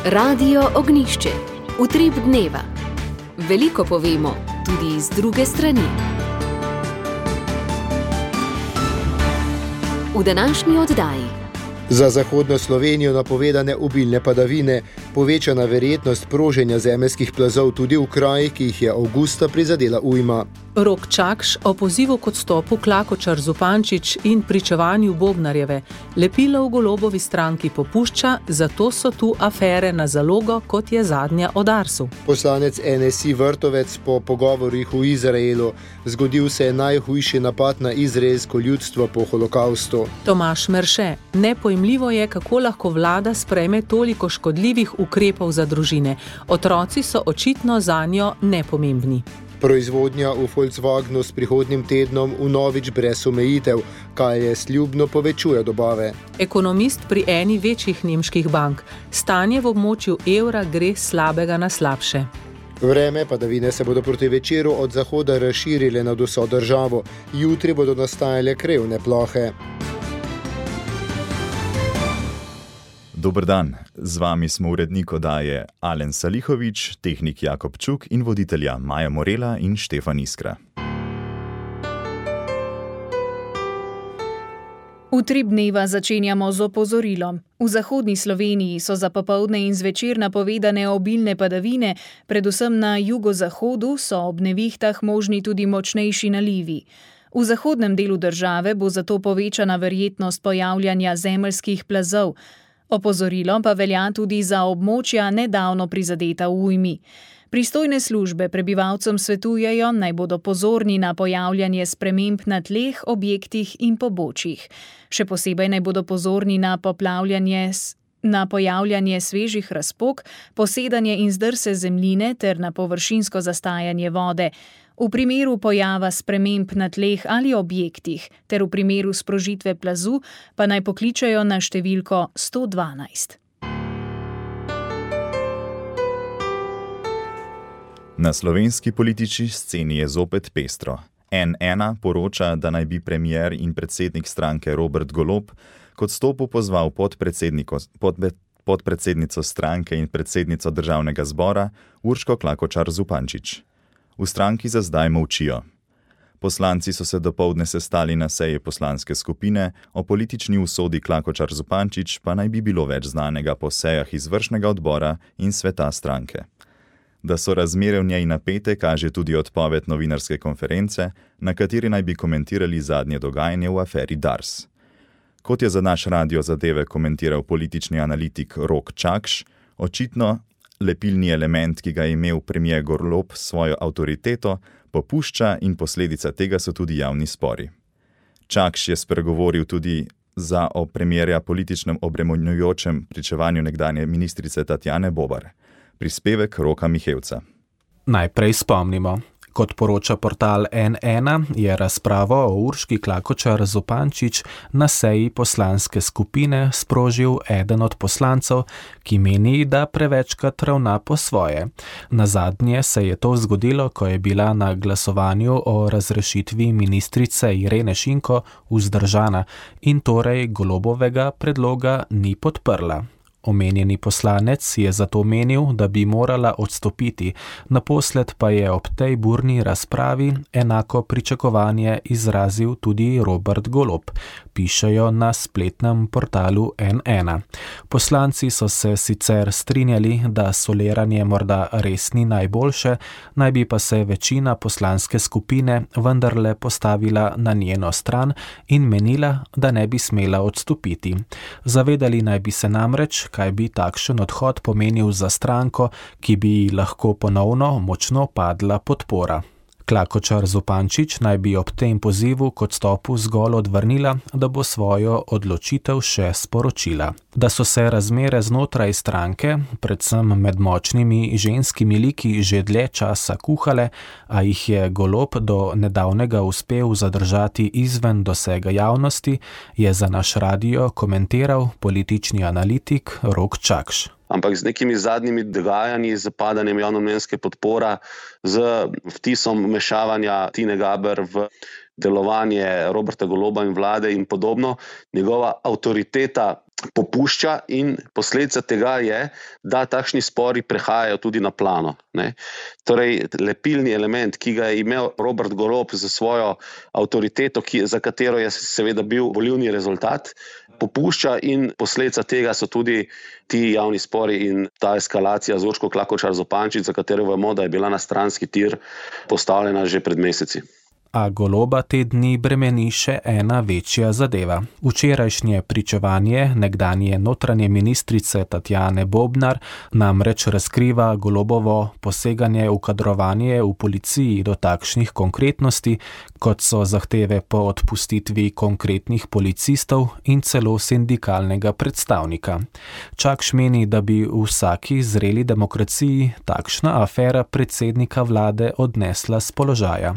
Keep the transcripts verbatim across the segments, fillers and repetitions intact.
Radio Ognjišče. Utrip dneva. Veliko povemo, tudi z druge strani. V današnji oddaji. Za zahodno Slovenijo napovedane obilne padavine, povečana verjetnost proženja zemeljskih plazov tudi v krajih, ki jih je avgusta prizadela ujma. Rok Čakš o pozivu k odstopu Klakočar Zupančič in pričevanju Bobnarjeve. Lepilo v Golobovi stranki popušča, zato so tu afere na zalogo, kot je zadnja o Darsu. Poslanec N S I Vrtovec po pogovorih v Izraelu. Zgodil se je najhujši napad na izraelsko ljudstvo po holokaustu. Tomaž Merše. Nepojmljivo je, kako lahko vlada sprejme toliko škodljivih ukrepov za družine. Otroci so očitno zanjo nepomembni. Proizvodnja v Volkswagenu s prihodnjim tednom vnovič brez omejitev, kaj je sljubno povečuje dobave. Ekonomist pri eni večjih nemških bank. Stanje v območju evra gre slabega na slabše. Vreme padavine se bodo proti večeru od zahoda razširile nad vso državo. Jutri bodo nastajale krevne plohe. Dober dan, z vami smo urednik oddaje Alen Salihovič, tehnik Jakob Čuk in voditelja Maja Morela in Štefan Iskra. Utrip dneva začenjamo z opozorilom. V zahodni Sloveniji so za popoldne in zvečer napovedane obilne padavine, predvsem na jugozahodu so ob nevihtah možni tudi močnejši nalivi. V zahodnem delu države bo zato povečana verjetnost pojavljanja zemeljskih plazov. Opozorilo pa velja tudi za območja nedavno prizadeta v ujmi. Pristojne službe prebivalcem svetujejo, naj bodo pozorni na pojavljanje sprememb na tleh, objektih in pobočjih. Še posebej naj bodo pozorni na poplavljanje, na pojavljanje svežih razpok, posedanje in zdrse zemljine ter na površinsko zastajanje vode. V primeru pojava sprememb na tleh ali objektih ter v primeru sprožitve plazu pa naj pokličejo na številko sto dvanajst. Na slovenski politični sceni je zopet pestro. N ena poroča, da naj bi premier in predsednik stranke Robert Golob k odstopu pozval podpredsednico, podbe, podpredsednico stranke in predsednico državnega zbora Urško Klakočar Zupančič. V stranki za zdaj molčijo. Poslanci so se dopoldne sestali na seji poslanske skupine, o politični usodi Klakočar Zupančič pa naj bi bilo več znanega po sejah izvršnega odbora in sveta stranke. Da so razmere v njej napete, kaže tudi odpoved novinarske konference, na kateri naj bi komentirali zadnje dogajanje v aferi Dars. Kot je za naš radio zadeve komentiral politični analitik Rok Čakš, očitno lepilni element, ki ga je imel premier Golob s svojo avtoriteto, popušča in posledica tega so tudi javni spori. Čakš je spregovoril tudi za o premierja političnem obremenjujočem pričevanju nekdanje ministrice Tatjane Bobar. Prispevek Roka Mihevca. Najprej spomnimo. Kot poroča portal N ena, je razpravo o Urški Klakočar Zupančič na seji poslanske skupine sprožil eden od poslancev, ki meni, da prevečkrat ravna po svoje. Nazadnje se je to zgodilo, ko je bila na glasovanju o razrešitvi ministrice Irene Šinko vzdržana in torej Golobovega predloga ni podprla. Omenjeni poslanec je zato menil, da bi morala odstopiti, naposled pa je ob tej burni razpravi enako pričakovanje izrazil tudi Robert Golob, pišejo na spletnem portalu N ena. Poslanci so se sicer strinjali, da soliranje morda res ni najboljše, naj bi pa se večina poslanske skupine vendarle postavila na njeno stran in menila, da ne bi smela odstopiti. Zavedali naj bi se namreč, kaj bi takšen odhod pomenil za stranko, ki bi lahko ponovno močno padla podpora. Klakočar Zupančič naj bi ob tem pozivu k odstopu zgolj odvrnila, da bo svojo odločitev še sporočila. Da so se razmere znotraj stranke, predvsem med močnimi ženskimi liki, že dlje časa kuhale, a jih je Golob do nedavnega uspel zadržati izven dosega javnosti, je za naš radio komentiral politični analitik Rok Čakš. Ampak z nekimi zadnjimi dogajanji, z padanjem javnomnenjske podpora, z vtisom vmešavanja Tine Gaber v delovanje Roberta Goloba in vlade in podobno, njegova avtoriteta popušča in posledica tega je, da takšni spori prehajajo tudi na plano. Ne? Torej, lepilni element, ki ga je imel Robert Golob za svojo avtoriteto, ki, za katero je seveda bil volilni rezultat, popušča in posledica tega so tudi ti javni spori in ta eskalacija z Urško Klakočar Zupančič, za katero vemo, da je bila na stranski tir postavljena že pred meseci. A Goloba te dni bremeni še ena večja zadeva. Včerajšnje pričevanje nekdanje notranje ministrice Tatjane Bobnar namreč razkriva Golobovo poseganje v kadrovanje v policiji do takšnih konkretnosti, kot so zahteve po odpustitvi konkretnih policistov in celo sindikalnega predstavnika. Čakš meni, da bi v vsaki zreli demokraciji takšna afera predsednika vlade odnesla s položaja.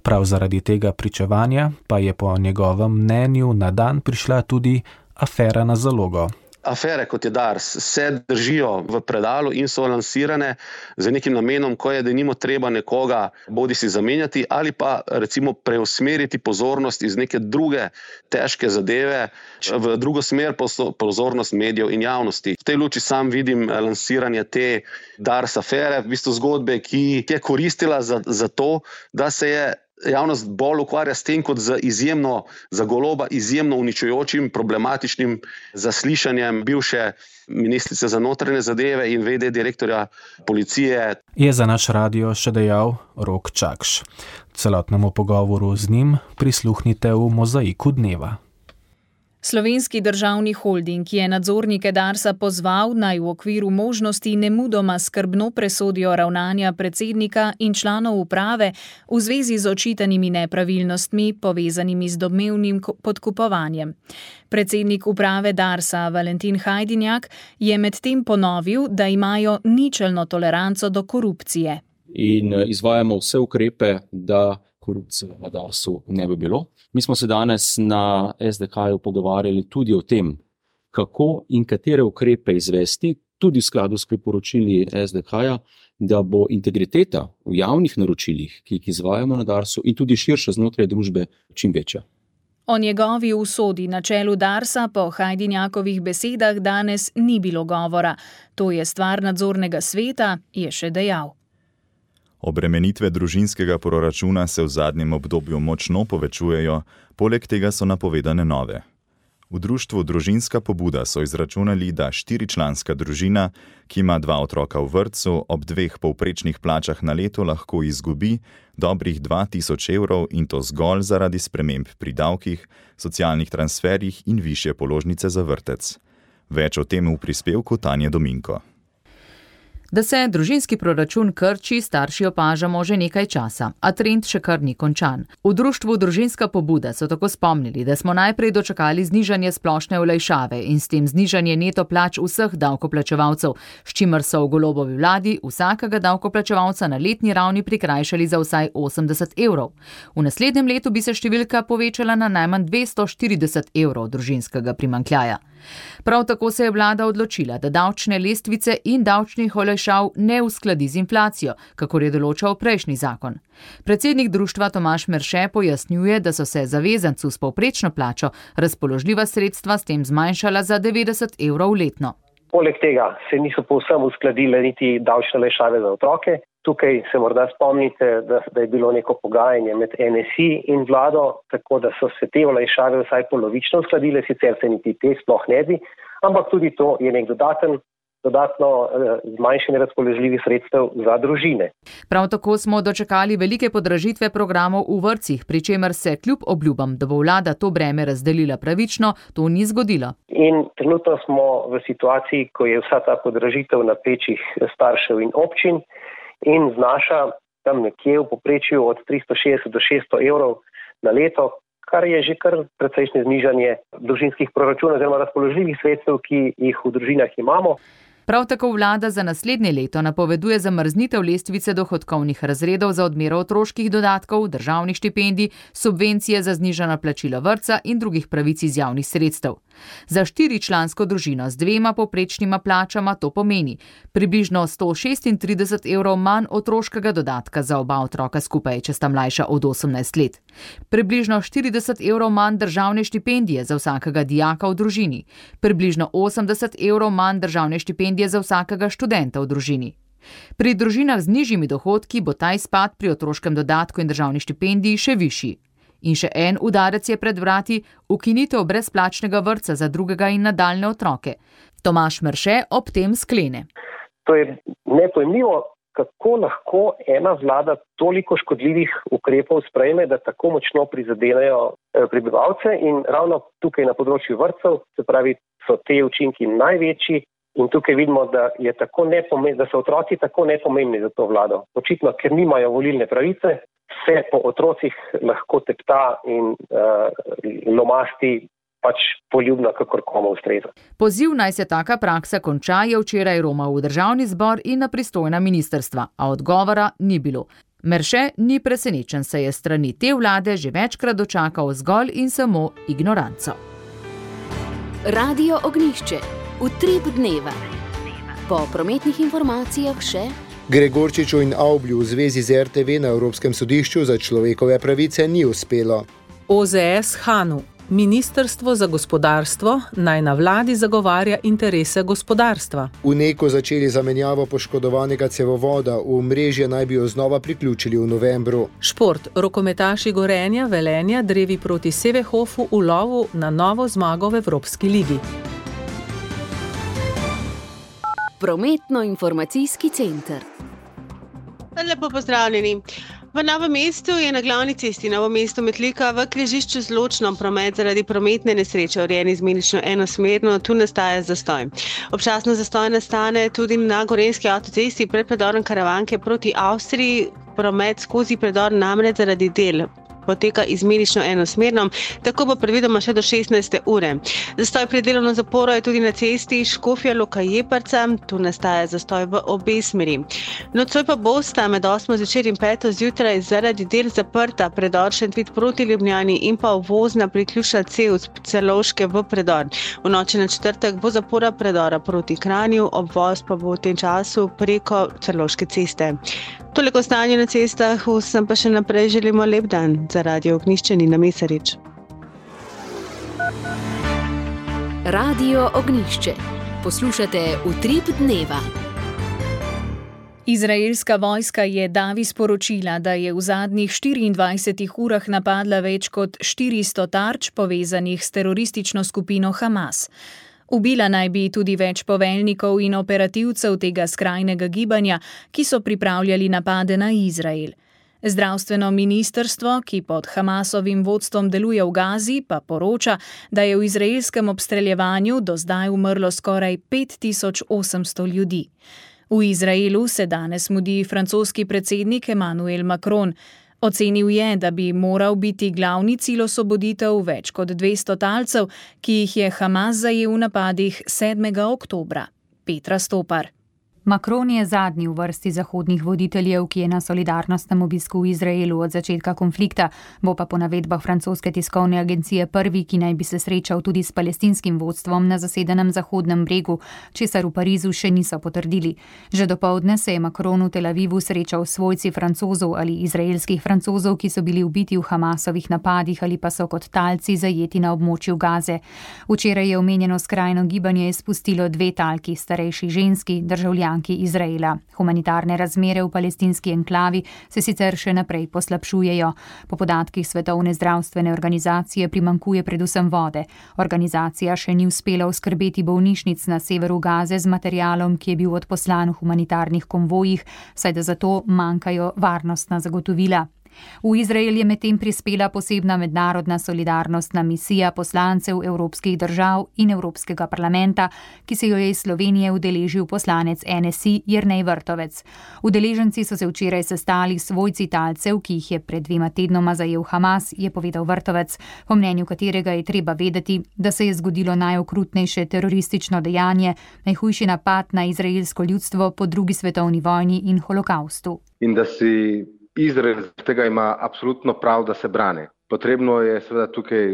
Prav zaradi tega pričevanja pa je po njegovem mnenju na dan prišla tudi afera na zalogo. Afere, kot je Dars, se držijo v predalu in so lansirane z nekim namenom, ko je denimo treba nekoga bodi si zamenjati ali pa recimo preusmeriti pozornost iz neke druge težke zadeve v drugo smer, pozornost medijev in javnosti. V tej luči sam vidim lansiranje te Dars afere, v bistvu zgodbe, ki je koristila za, za to, da se je javnost bolj ukvarja s tem, kot z izjemno, za Goloba izjemno uničujočim, problematičnim zaslišanjem bivše ministrice za notranje zadeve in ve de direktorja policije. Je za naš radio še dejal Rok Čakš. Celotnemu pogovoru z njim prisluhnite v Mozaiku dneva. Slovenski državni holding je nadzornike Darsa pozval, naj v okviru možnosti nemudoma skrbno presodijo ravnanja predsednika in članov uprave v zvezi z očitanimi nepravilnostmi, povezanimi z domnevnim podkupovanjem. Predsednik uprave Darsa Valentin Hajdinjak je medtem ponovil, da imajo ničelno toleranco do korupcije. In izvajamo vse ukrepe, da korupcije na Darsu ne bi bilo. Mi smo se danes na es de ka-ju pogovarjali tudi o tem, kako in katere ukrepe izvesti, tudi v skladu s priporočili es de ka-ja, da bo integriteta v javnih naročilih, ki jih izvajamo na Darsu in tudi širše znotraj družbe, čim večja. O njegovi usodi na čelu Darsa po Hajdinjakovih besedah danes ni bilo govora. To je stvar nadzornega sveta, je še dejal. Obremenitve družinskega proračuna se v zadnjem obdobju močno povečujejo, poleg tega so napovedane nove. V društvu Družinska pobuda so izračunali, da štiričlanska družina, ki ima dva otroka v vrtcu, ob dveh povprečnih plačah na leto lahko izgubi dobrih dva tisoč evrov in to zgolj zaradi sprememb pri davkih, socialnih transferjih in višje položnice za vrtec. Več o tem v prispevku Tanje Dominko. Da se družinski proračun krči, starši opažamo že nekaj časa, a trend še kar ni končan. V društvu Družinska pobuda so tako spomnili, da smo najprej dočakali znižanje splošne olajšave in s tem znižanje neto plač vseh davkoplačevalcev, s čimer so v Golobovi vladi vsakega davkoplačevalca na letni ravni prikrajšali za vsaj osemdeset evrov. V naslednjem letu bi se številka povečala na najmanj dvesto štirideset evrov družinskega primanjkljaja. Prav tako se je vlada odločila, da davčne lestvice in davčnih olajšav ne uskladi z inflacijo, kakor je določal prejšnji zakon. Predsednik društva Tomaž Merše pojasnjuje, da so se zavezancu s povprečno plačo razpoložljiva sredstva s tem zmanjšala za devetdeset evrov letno. Poleg tega se niso povsem uskladile niti davčne olajšave za otroke. Tukaj se morda spomnite, da, da je bilo neko pogajanje med en es i in vlado, tako da so se te olajšave vsaj polovično uskladile, sicer se niti te sploh ne bi, ampak tudi to je nek dodaten, dodatno eh, zmanjšanje razpoložljivih sredstev za družine. Prav tako smo dočakali velike podražitve programov v vrtcih, pri čemer se kljub obljubam, da bo vlada to breme razdelila pravično, to ni zgodilo. In trenutno smo v situaciji, ko je vsa ta podražitev na plečih staršev in občin, in znaša tam nekje v povprečju od tristo šestdeset do šeststo evrov na leto, kar je že kar precejšnje znižanje družinskih proračunov oziroma razpoložljivih sredstev, ki jih v družinah imamo. Prav tako vlada za naslednje leto napoveduje zamrznitev lestvice dohodkovnih razredov za odmero otroških dodatkov, državnih štipendij, subvencije za znižana plačila vrtca in drugih pravic iz javnih sredstev. Za štiričlansko družino z dvema povprečnima plačama to pomeni približno sto šestintrideset evrov manj otroškega dodatka za oba otroka skupaj, če sta mlajša od osemnajst let. Približno štirideset evrov manj državne štipendije za vsakega dijaka v družini. Približno osemdeset evrov manj državne štipendije za vsakega študenta v družini. Pri družinah z nižjimi dohodki bo ta izpad pri otroškem dodatku in državni štipendiji še višji. In še en udarec je pred vrati, ukinitev brezplačnega vrtca za drugega in nadaljne otroke. Tomaž Merše ob tem sklene. To je nepojmljivo, kako lahko ena vlada toliko škodljivih ukrepov sprejme, da tako močno prizadenejo prebivalce in ravno tukaj na področju vrtcev, se pravi, so te učinki največji in tukaj vidimo, da, je tako da so otroci tako nepomembni za to vlado. Očitno, ker nimajo volilne pravice, se po otrocih lahko tepta in uh, lomasti pač poljubno, kakor komu ustreza. Poziv naj se taka praksa konča je včeraj romal v državni zbor in na pristojna ministrstva, a odgovora ni bilo. Merše ni presenečen, se je strani te vlade že večkrat dočakal zgolj in samo ignoranco. Radio Ognjišče. Utrip dneva. Po prometnih informacijah še Gregorčiču in Avblju v zvezi z er te ve na Evropskem sodišču za človekove pravice ni uspelo. O Z S Hanu. Ministrstvo za gospodarstvo naj na vladi zagovarja interese gospodarstva. V Neko začeli zamenjavo poškodovanega cevovoda, v mrežje naj bi jo znova priključili v novembru. Šport. Rokometaši Gorenja, Velenja, drevi proti Sevehofu v lovu na novo zmago v Evropski ligi. Prometno-informacijski center. Lepo pozdravljeni. V Novem mestu je na glavni cesti Novo mesto-Metlika v križišču z Ločnom promet zaradi prometne nesreče urejen izmenično enosmerno, tu nastaja zastoj. Občasno zastoj nastane tudi na Gorenjski avtocesti pred predorom Karavanke proti Avstriji, promet skozi predor namreč zaradi del poteka izmenično enosmerno, tako bo predvidoma še do šestnajste ure. Zastoj pri delovno zaporo je tudi na cesti Škofja Loka-Jeprca, tu nastaja zastoj v obe smeri. Nocoj pa bosta med osmo zvečer in peto zjutraj zaradi del zaprta predor Šentvid proti Ljubljani in pa uvozna priključna cev z Celovške v predor. V noči na četrtek bo zapora predora proti Kranju, obvoz pa bo v tem času preko Celovške ceste. Toliko stanje na cestah, vsem pa še naprej želimo lep dan. Za Radio Ognjišče Nina Mesarič. Radio Ognjišče. Poslušate Utrip dneva. Izraelska vojska je davi sporočila, da je v zadnjih štiriindvajsetih urah napadla več kot štiristo tarč povezanih s teroristično skupino Hamas. Ubila naj bi tudi več poveljnikov in operativcev tega skrajnega gibanja, ki so pripravljali napade na Izrael. Zdravstveno ministrstvo, ki pod Hamasovim vodstvom deluje v Gazi, pa poroča, da je v izraelskem obstreljevanju do zdaj umrlo skoraj pet tisoč osemsto ljudi. V Izraelu se danes mudi francoski predsednik Emmanuel Macron. Ocenil je, da bi moral biti glavni cilj osvoboditev več kot dvesto talcev, ki jih je Hamas zajel v napadih sedmega oktobra. Petra Stopar. Macron je zadnji v vrsti zahodnih voditeljev, ki je na solidarnostnem obisku v Izraelu od začetka konflikta, bo pa po navedbah francoske tiskovne agencije prvi, ki naj bi se srečal tudi s palestinskim vodstvom na zasedenem Zahodnem bregu, česar v Parizu še niso potrdili. Že dopoldne se je Macron v Tel Avivu srečal s svojci Francozov ali izraelskih Francozov, ki so bili ubiti v Hamasovih napadih ali pa so kot talci zajeti na območju Gaze. Včeraj je omenjeno skrajno gibanje izpustilo dve talki, starejši ženski, državljanki Izraela. Humanitarne razmere v palestinski enklavi se sicer še naprej poslabšujejo. Po podatkih Svetovne zdravstvene organizacije primankuje predvsem vode. Organizacija še ni uspela oskrbeti bolnišnic na severu Gaze z materialom, ki je bil odposlan v humanitarnih konvojih, saj da zato manjkajo varnostna zagotovila. V Izrael je medtem prispela posebna mednarodna solidarnostna misija poslancev evropskih držav in Evropskega parlamenta, ki se jo je iz Slovenije udeležil poslanec N S I Jernej Vrtovec. Udeleženci so se včeraj sestali s svojci talcev, ki jih je pred dvema tednoma zajel Hamas, je povedal Vrtovec, po mnenju katerega je treba vedeti, da se je zgodilo najokrutnejše teroristično dejanje, najhujši napad na izraelsko ljudstvo po drugi svetovni vojni in holokaustu. In da si Izrael tega ima absolutno prav, da se brani. Potrebno je seveda tukaj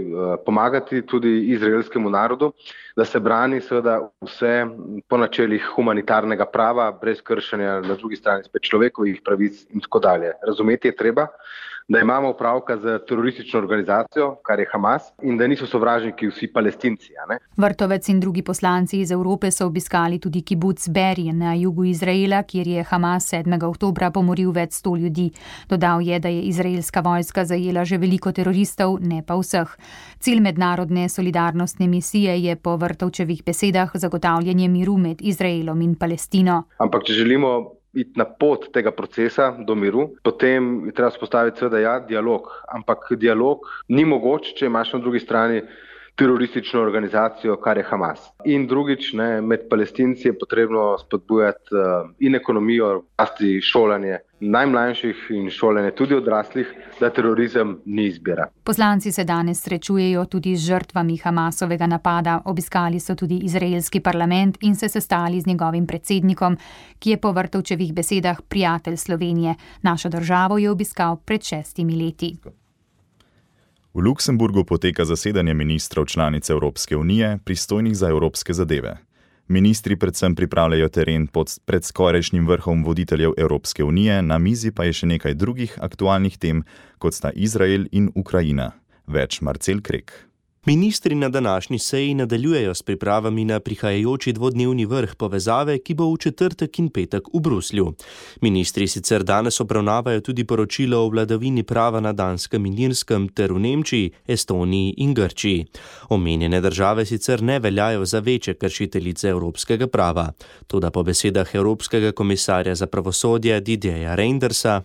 pomagati tudi izraelskemu narodu, da se brani seveda vse po načelih humanitarnega prava, brez kršenja na drugi strani spet človekovih pravic in tako dalje. Razumeti je treba, da imamo opravka z teroristično organizacijo, kar je Hamas, in da niso sovražniki vsi Palestinci. Ne? Vrtovec in drugi poslanci iz Evrope so obiskali tudi kibuc Beri na jugu Izraela, kjer je Hamas sedmega oktobra pomoril več sto ljudi. Dodal je, da je izraelska vojska zajela že veliko teroristov, ne pa vseh. Cilj mednarodne solidarnostne misije je po Vrtovčevih besedah zagotavljanje miru med Izraelom in Palestino. Ampak če želimo iti na pot tega procesa do miru, potem je treba spostaviti seveda ja, dialog. Ampak dialog ni mogoč, če imaš na drugi strani teroristično organizacijo, kar je Hamas. In drugič, ne, med Palestinci je potrebno spodbujati uh, in ekonomijo, rasti šolanje najmlajših in šolanje tudi odraslih, da terorizem ni izbira. Poslanci se danes srečujejo tudi z žrtvami Hamasovega napada. Obiskali so tudi izraelski parlament in se sestali z njegovim predsednikom, ki je po Vrtovčevih besedah prijatelj Slovenije. Našo državo je obiskal pred šestimi leti. V Luksemburgu poteka zasedanje ministrov članic Evropske unije, pristojnih za evropske zadeve. Ministri predvsem pripravljajo teren pod, pred skorajšnjim vrhom voditeljev Evropske unije, na mizi pa je še nekaj drugih aktualnih tem, kot sta Izrael in Ukrajina. Več Marcel Krek. Ministri na današnji seji nadaljujejo s pripravami na prihajajoči dvodnevni vrh povezave, ki bo v četrtek in petek v Bruslju. Ministri sicer danes obravnavajo tudi poročilo o vladavini prava na Danskem in Irskem ter v Nemčiji, Estoniji in Grčiji. Omenjene države sicer ne veljajo za večje kršiteljice evropskega prava. Toda po besedah Evropskega komisarja za pravosodje Didierja Reindersa,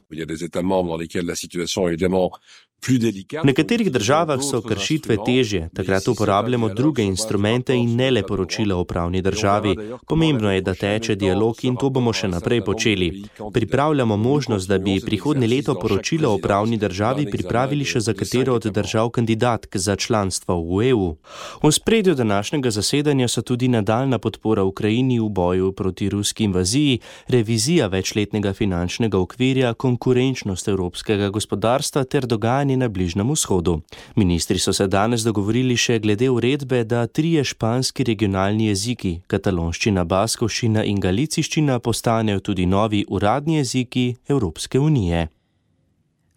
v nekaterih državah so kršitve težje, takrat uporabljamo druge instrumente in ne le poročila o pravni državi. Pomembno je, da teče dialog in to bomo še naprej počeli. Pripravljamo možnost, da bi prihodnje leto poročilo o pravni državi pripravili še za katero od držav kandidatk za članstvo v E U. V spredju današnjega zasedanja so tudi nadaljna podpora Ukrajini v boju proti ruski invaziji, revizija večletnega finančnega okvirja, konkurenčnost evropskega gospodarstva ter dogajanje na Bližnjem vzhodu. Ministri so se danes dogovorili še glede uredbe, da trije španski regionalni jeziki, katalonščina, baskovščina in galiciščina, postanejo tudi novi uradni jeziki Evropske unije.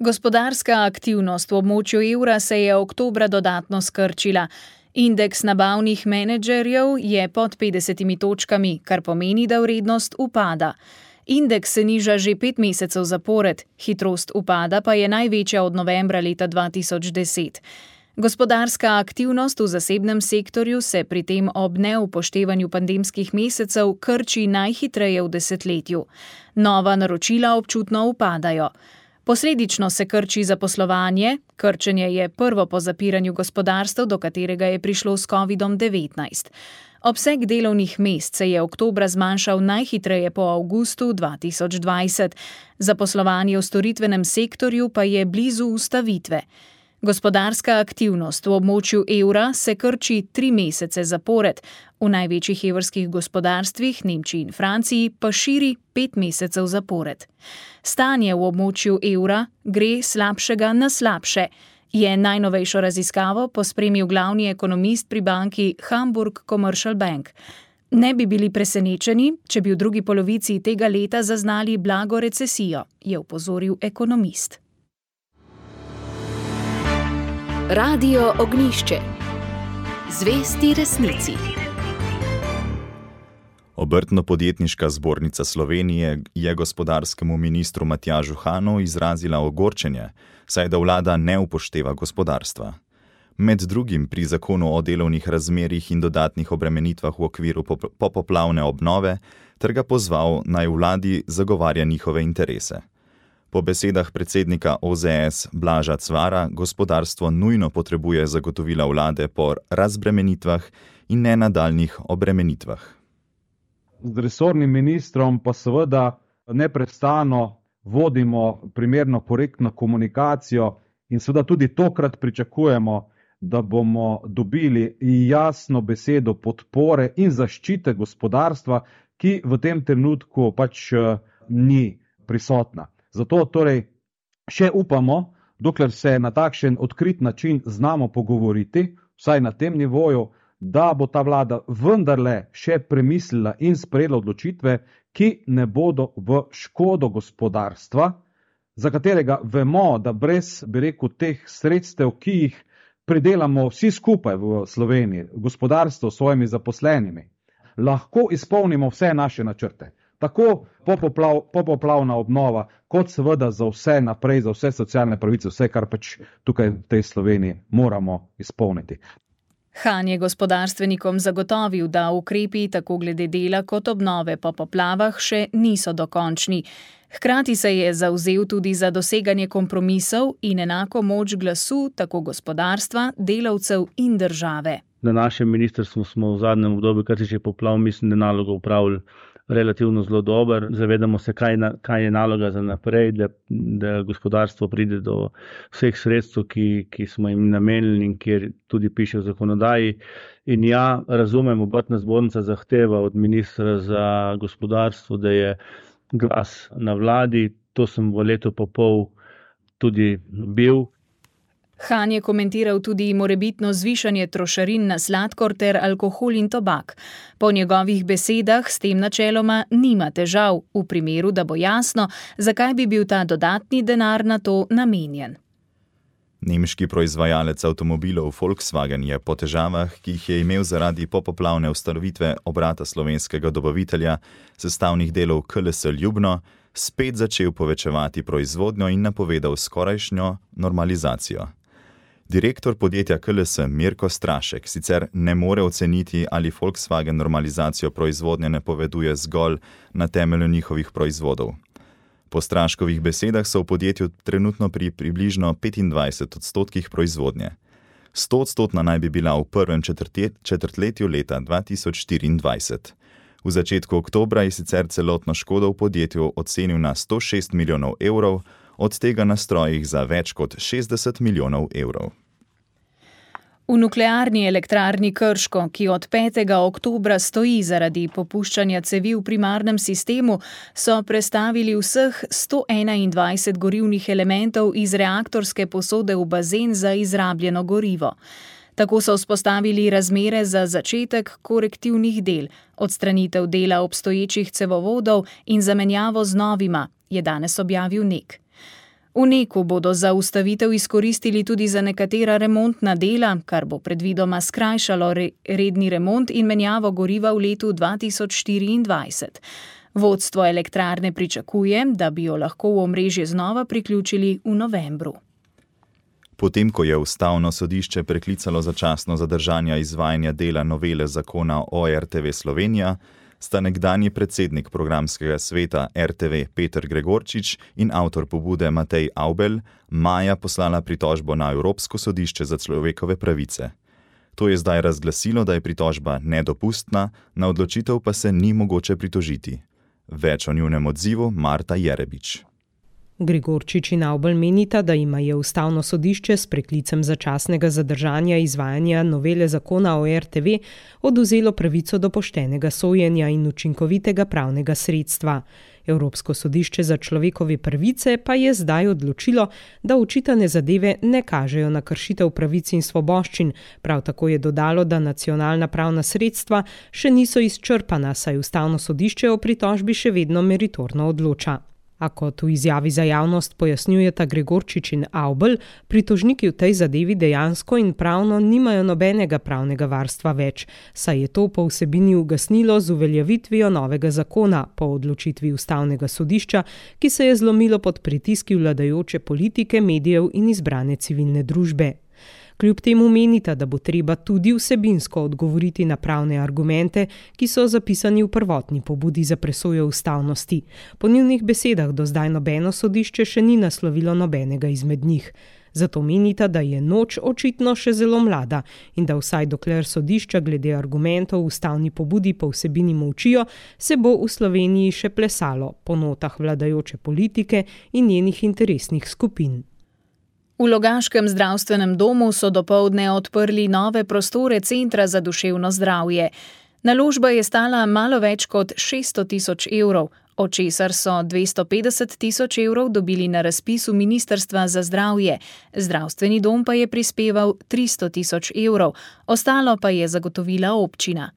Gospodarska aktivnost v območju evra se je oktobra dodatno skrčila. Indeks nabavnih menedžerjev je pod petdesetimi točkami, kar pomeni, da vrednost upada. Indeks se niža že pet mesecev zapored, hitrost upada pa je največja od novembra leta dva tisoč deset. Gospodarska aktivnost v zasebnem sektorju se pri tem ob neupoštevanju pandemskih mesecev krči najhitreje v desetletju. Nova naročila občutno upadajo. Posledično se krči zaposlovanje, krčenje je prvo po zapiranju gospodarstev, do katerega je prišlo s kovidom devetnajst. Obseg delovnih mest se je oktobra zmanjšal najhitreje po avgustu dva tisoč dvajset, zaposlovanje v storitvenem sektorju pa je blizu ustavitve. Gospodarska aktivnost v območju evra se krči tri mesece zapored, v največjih evrskih gospodarstvih, Nemčiji in Franciji, pa širi pet mesecev zapored. Stanje v območju evra gre slabšega na slabše, je najnovejšo raziskavo pospremil glavni ekonomist pri banki Hamburg Commercial Bank. Ne bi bili presenečeni, če bi v drugi polovici tega leta zaznali blago recesijo, je opozoril ekonomist. Radio Ognjišče. Zvesti resnici. Obrtno-podjetniška zbornica Slovenije je gospodarskemu ministru Matjažu Hanu izrazila ogorčenje, saj da vlada ne upošteva gospodarstva. Med drugim pri zakonu o delovnih razmerjih in dodatnih obremenitvah v okviru popoplavne obnove ter ga pozval, naj vladi zagovarja njihove interese. Po besedah predsednika O Z S Blaža Cvara, gospodarstvo nujno potrebuje zagotovila vlade po razbremenitvah in ne nadaljnjih obremenitvah. Z resornim ministrom pa seveda neprestano vodimo primerno korektno komunikacijo in seveda tudi tokrat pričakujemo, da bomo dobili jasno besedo podpore in zaščite gospodarstva, ki v tem trenutku pač ni prisotna. Zato torej še upamo, dokler se na takšen odkrit način znamo pogovoriti, vsaj na tem nivoju, da bo ta vlada vendarle še premislila in sprejela odločitve, ki ne bodo v škodo gospodarstva, za katerega vemo, da brez, bi rekel, teh sredstev, ki jih pridelamo vsi skupaj v Sloveniji, gospodarstvo s svojimi zaposlenimi, lahko izpolnimo vse naše načrte. Tako popoplav, popoplavna obnova, kot seveda za vse naprej, za vse socialne pravice, vse, kar pač tukaj v tej Sloveniji moramo izpolniti. Han je gospodarstvenikom zagotovil, da ukrepi tako glede dela kot obnove po poplavah še niso dokončni. Hkrati se je zavzel tudi za doseganje kompromisov in enako moč glasu tako gospodarstva, delavcev in države. Na našem ministrstvu smo v zadnjem obdobju, kar se že poplav, mislim, da nalogo upravili relativno zelo dober. Zavedamo se, kaj, na, kaj je naloga za naprej, da, da gospodarstvo pride do vseh sredstev, ki, ki smo jim namenili in kjer tudi piše v zakonodaji. In ja, razumem, obrtna zbornica zahteva od ministra za gospodarstvo, da je glas na vladi. To sem v letu pa pol tudi bil. Han je komentiral tudi morebitno zvišanje trošarin na sladkor ter alkohol in tobak. Po njegovih besedah s tem načeloma nima težav, v primeru, da bo jasno, zakaj bi bil ta dodatni denar na to namenjen. Nemški proizvajalec avtomobilov Volkswagen je po težavah, ki jih je imel zaradi popoplavne ustanovitve obrata slovenskega dobavitelja sestavnih delov K L S Ljubno, spet začel povečevati proizvodnjo in napovedal skorajšnjo normalizacijo. Direktor podjetja K L S Mirko Strašek sicer ne more oceniti, ali Volkswagen normalizacijo proizvodnje napoveduje zgolj na temelju njihovih proizvodov. Po Straškovih besedah so v podjetju trenutno pri približno petindvajset odstotkih proizvodnje. sto odstotna naj bi bila v prvem četrtletju leta dva tisoč štiriindvajset. V začetku oktobra je sicer celotno škodo v podjetju ocenil na sto šest milijonov evrov, od tega na strojih za več kot šestdeset milijonov evrov. V nuklearni elektrarni Krško, ki od petega oktobra stoji zaradi popuščanja cevi v primarnem sistemu, so prestavili vseh sto enaindvajset gorivnih elementov iz reaktorske posode v bazen za izrabljeno gorivo. Tako so vzpostavili razmere za začetek korektivnih del, odstranitev dela obstoječih cevovodov in zamenjavo z novima, je danes objavil N E K. V N E K-u bodo za ustavitev izkoristili tudi za nekatera remontna dela, kar bo predvidoma skrajšalo re, redni remont in menjavo goriva v letu dva tisoč štiriindvajset. Vodstvo elektrarne pričakuje, da bi jo lahko v omrežje znova priključili v novembru. Potem, ko je Ustavno sodišče preklicalo začasno zadržanje izvajanja dela novele zakona o R T V Slovenija, sta nekdanji predsednik programskega sveta R T V Peter Gregorčič in avtor pobude Matej Avbelj maja poslala pritožbo na Evropsko sodišče za človekove pravice. To je zdaj razglasilo, da je pritožba nedopustna, na odločitev pa se ni mogoče pritožiti. Več o njunem odzivu Marta Jerebič. Gregorčič in Avbelj menita, da ima je Ustavno sodišče s preklicem začasnega zadržanja izvajanja novele zakona o R T V odvzelo pravico do poštenega sojenja in učinkovitega pravnega sredstva. Evropsko sodišče za človekove pravice pa je zdaj odločilo, da očitane zadeve ne kažejo na kršitev pravic in svoboščin. Prav tako je dodalo, da nacionalna pravna sredstva še niso izčrpana, saj Ustavno sodišče o pritožbi še vedno meritorno odloča. A kot v izjavi za javnost pojasnjujeta Gregorčič in Avbelj, pritožniki v tej zadevi dejansko in pravno nimajo nobenega pravnega varstva več, saj je to po vsebini ugasnilo z uveljavitvijo novega zakona po odločitvi Ustavnega sodišča, ki se je zlomilo pod pritiski vladajoče politike, medijev in izbrane civilne družbe. Kljub temu menita, da bo treba tudi vsebinsko odgovoriti na pravne argumente, ki so zapisani v prvotni pobudi za presojo ustavnosti. Po njunih besedah do zdaj nobeno sodišče še ni naslovilo nobenega izmed njih. Zato menita, da je noč očitno še zelo mlada in da vsaj dokler sodišča glede argumentov v ustavni pobudi po vsebini molčijo, se bo v Sloveniji še plesalo po notah vladajoče politike in njenih interesnih skupin. V Logaškem zdravstvenem domu so dopoldne odprli nove prostore Centra za duševno zdravje. Naložba je stala malo več kot šeststo tisoč evrov, od česar so dvesto petdeset tisoč evrov dobili na razpisu Ministrstva za zdravje. Zdravstveni dom pa je prispeval tristo tisoč evrov, ostalo pa je zagotovila občina.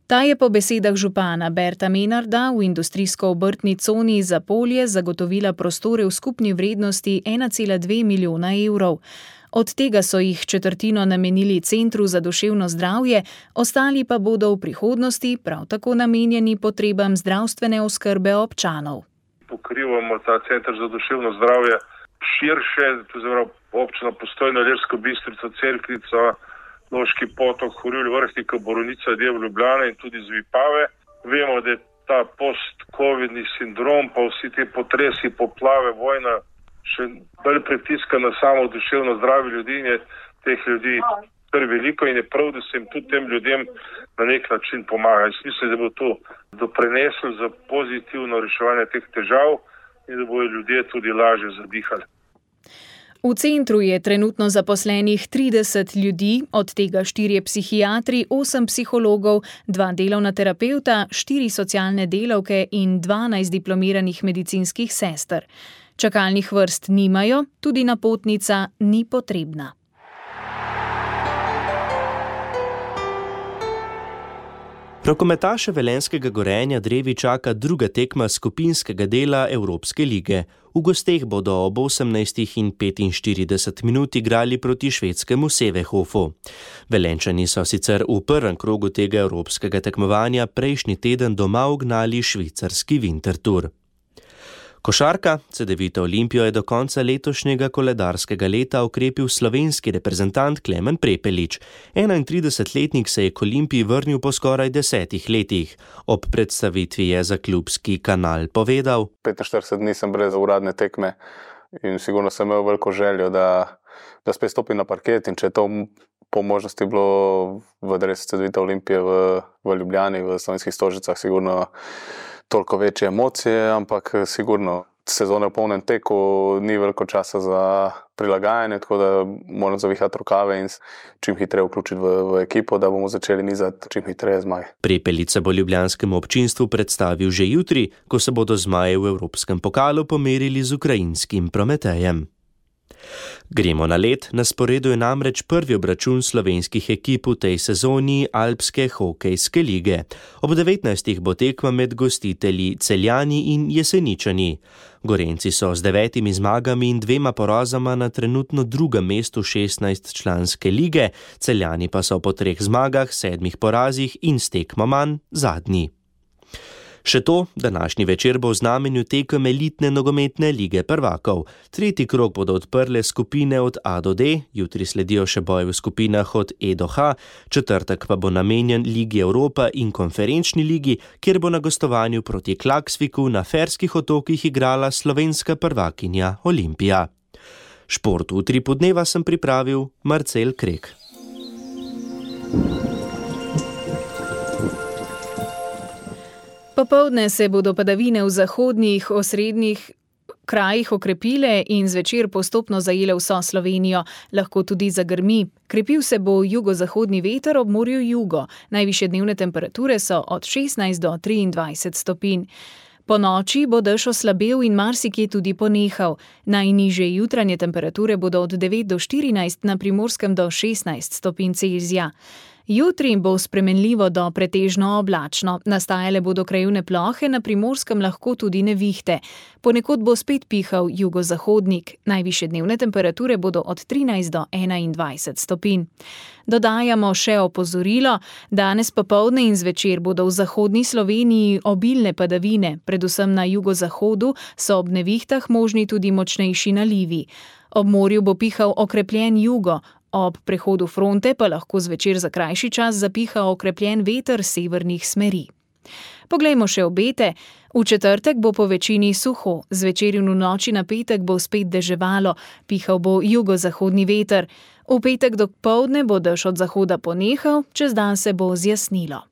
Ta je po besedah župana Berta Menarda v industrijsko-obrtni coni Zapolje zagotovila prostore v skupni vrednosti ena cela dve milijona evrov. Od tega so jih četrtino namenili Centru za duševno zdravje, ostali pa bodo v prihodnosti prav tako namenjeni potrebam zdravstvene oskrbe občanov. Pokrivamo ta Center za duševno zdravje širše, to je občina Postojna, Ilirsko Bistrico, Cerknico, Loški potok, Horjul, Vrhnika, Borovnica, Dev, Ljubljana in tudi z Vipave. Vemo, da je ta post-covidni sindrom, pa vsi te potresi, poplave, vojna, še bolj pritiska na samo duševno zdravje ljudi in je teh ljudi kar veliko in je prav, da se jim tudi tem ljudem na nek način pomaga. Jaz mislim, da bo to doprineslo za pozitivno reševanje teh težav in da bodo ljudje tudi lažje zadihali. V centru je trenutno zaposlenih trideset ljudi, od tega štirje psihiatri, osem psihologov, dva delovna terapevta, štiri socialne delavke in dvanajst diplomiranih medicinskih sester. Čakalnih vrst nimajo, tudi napotnica ni potrebna. Rokometaše velenjskega Gorenja Drevi čaka druga tekma skupinskega dela Evropske lige. V gosteh bodo ob osemnajstih in petinštirideset minut igrali proti švedskemu Sevehofu. Velenjčani so sicer v prvem krogu tega evropskega tekmovanja prejšnji teden doma ugnali švicarski Winterthur. Košarka Cedevita Olimpijo je do konca letošnjega koledarskega leta okrepil slovenski reprezentant Klemen Prepelič. enaintridesetletnik se je k Olimpiji vrnil po skoraj desetih letih. Ob predstavitvi je za klubski kanal povedal: petinštirideset dni sem brez uradne tekme in sigurno sem imel veliko željo, da, da spet stopim na parket in če je to po možnosti bilo v dresu Cedevita Olimpije v, v Ljubljani, v Slovenskih Stožicah, sigurno toliko večje emocije, ampak sigurno sezone v polnem teku, ni veliko časa za prilagajanje, tako da moram zavihati rokave in čim hitreje vključiti v, v ekipo, da bomo začeli nizati čim hitreje zmaje. Prepelič se bo ljubljanskemu občinstvu predstavil že jutri, ko se bodo zmaje v Evropskem pokalu pomerili z ukrajinskim Prometejem. Gremo na led, na sporedu je namreč prvi obračun slovenskih ekip v tej sezoni Alpske hokejske lige. Ob devetnajstih bo tekma med gostitelji Celjani in Jeseničani. Gorenjci so z devetimi zmagami in dvema porazama na trenutno drugem mestu šestnajstčlanske lige, Celjani pa so po treh zmagah, sedmih porazih in s tekmo manj zadnji. Še to, današnji večer bo v znamenju tekem elitne nogometne lige prvakov. Tretji krog bodo odprle skupine od A do D, jutri sledijo še boji v skupinah od E do H, četrtek pa bo namenjen Ligi Evropa in konferenčni ligi, kjer bo na gostovanju proti Klaksviku na Ferskih otokih igrala slovenska prvakinja Olimpija. Šport v utripu dneva sem pripravil Marcel Krek. Popoldne se bodo padavine v zahodnih, osrednjih krajih okrepile in zvečer postopno zajele vso Slovenijo, lahko tudi zagrmi. Krepil se bo jugozahodni veter ob morju jugo. Najvišje dnevne temperature so od šestnajst do triindvajset stopinj. Po noči bo dež oslabel in marsikje tudi ponehal. Najnižje jutranje temperature bodo od devet do štirinajst, na Primorskem do šestnajst stopinj Celzija. Jutri bo spremenljivo do pretežno oblačno, nastajale bodo krajevne plohe, na Primorskem lahko tudi nevihte. Ponekod bo spet pihal jugozahodnik, najvišje dnevne temperature bodo od trinajst do enaindvajset stopinj. Dodajamo še opozorilo, danes popoldne in zvečer bodo v zahodni Sloveniji obilne padavine, predvsem na jugozahodu so ob nevihtah možni tudi močnejši nalivi. Ob morju bo pihal okrepljen jugo, ob prehodu fronte pa lahko zvečer za krajši čas zapiha okrepljen veter severnih smeri. Poglejmo še obete. V četrtek bo po večini suho, zvečer in v noči na petek bo spet deževalo, pihal bo jugozahodni veter. V petek dopoldne bo dež od zahoda ponehal, čez dan se bo zjasnilo.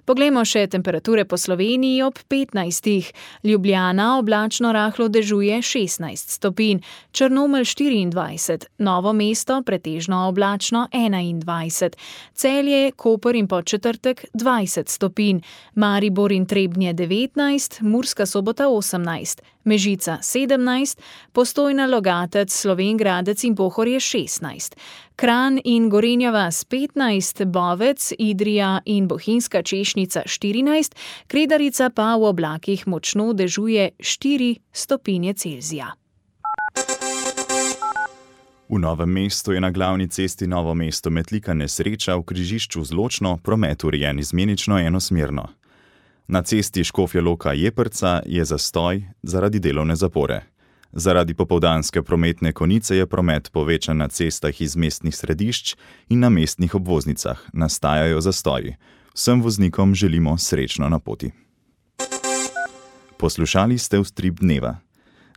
Poglejmo še temperature po Sloveniji ob petnajstih. Ljubljana oblačno rahlo dežuje šestnajst stopinj, Črnomelj štiriindvajset, Novo mesto pretežno oblačno enaindvajset, Celje, Koper in Podčetrtek dvajset stopinj, Maribor in Trebnje devetnajst, Murska Sobota osemnajst, Mežica sedemnajst, Postojna, Logatec, Slovenj Gradec in Pohorje šestnajst, Kranj in Gorenja vas petnajst, Bovec, Idrija in Bohinjska Češnica štirinajst, Kredarica pa v oblakih močno dežuje štiri stopinje Celzija. V Novem mestu je na glavni cesti Novo mesto-Metlika nesreča, v križišču z Ločno promet urejen izmenično enosmerno. Na cesti Škofja Loka-Jeprca je zastoj zaradi delovne zapore. Zaradi popoldanske prometne konice je promet povečan na cestah iz mestnih središč in na mestnih obvoznicah. Nastajajo zastoji. Vsem voznikom želimo srečno na poti. Poslušali ste Utrip dneva.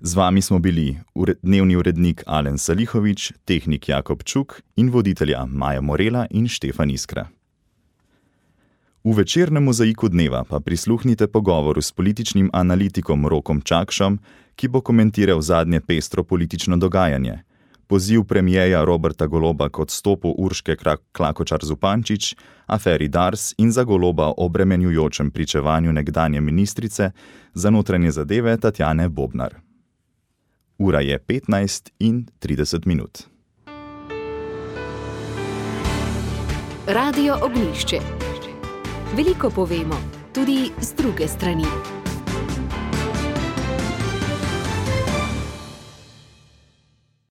Z vami smo bili dnevni urednik Alen Salihovič, tehnik Jakob Čuk in voditelja Maja Morela in Štefan Iskra. V večernem mozaiku dneva pa prisluhnite pogovoru s političnim analitikom Rokom Čakšom, ki bo komentiral zadnje pestro politično dogajanje, poziv premijeja Roberta Goloba k odstopu Urške Klakočar Zupančič, aferi Dars in za Goloba obremenjujočem pričevanju nekdanje ministrice za notranje zadeve Tatjane Bobnar. Ura je petnajst in trideset minut. Radio Ognjišče. Veliko povemo, tudi z druge strani.